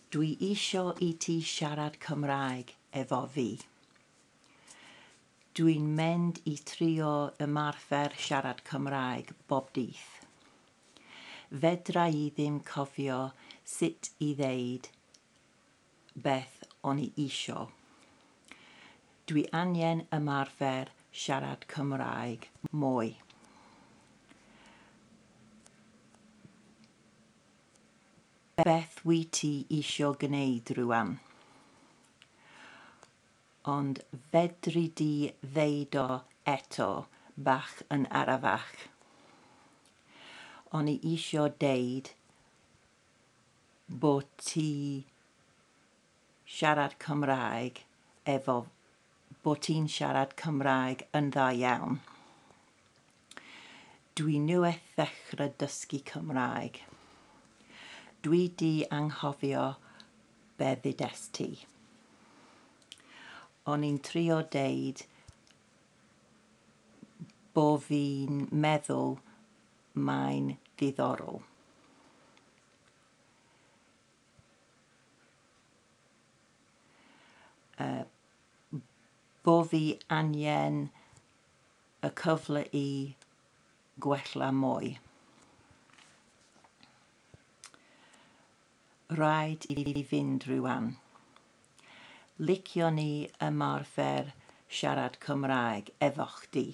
Dwi isio i ti siarad Cymraeg efo fi. Dwi'n mynd i trio ymarfer siarad Cymraeg bob dydd. Fedra i ddim cofio sut i ddeud beth o'n i isio. Dwi angen ymarfer siarad Cymraeg mwy. Beth wyt ti isio gwneud rwan? Ond fedri di ddeud o eto bach yn arafach? O'n i isio deud bo ti siarad Cymraeg efo bo ti'n siarad Cymraeg yn dda iawn. Dwi newydd ddechrau dysgu Cymraeg. Dwi 'di anghofio be ddudest ti. O'n i'n trio deud bo fi'n meddwl mae'n ddiddorol. Uh, bo fi angen y cyfle i gwella mwy. Rhaid i fi fynd rwan. Liciwn i ymarfer siarad Cymraeg efo chdi.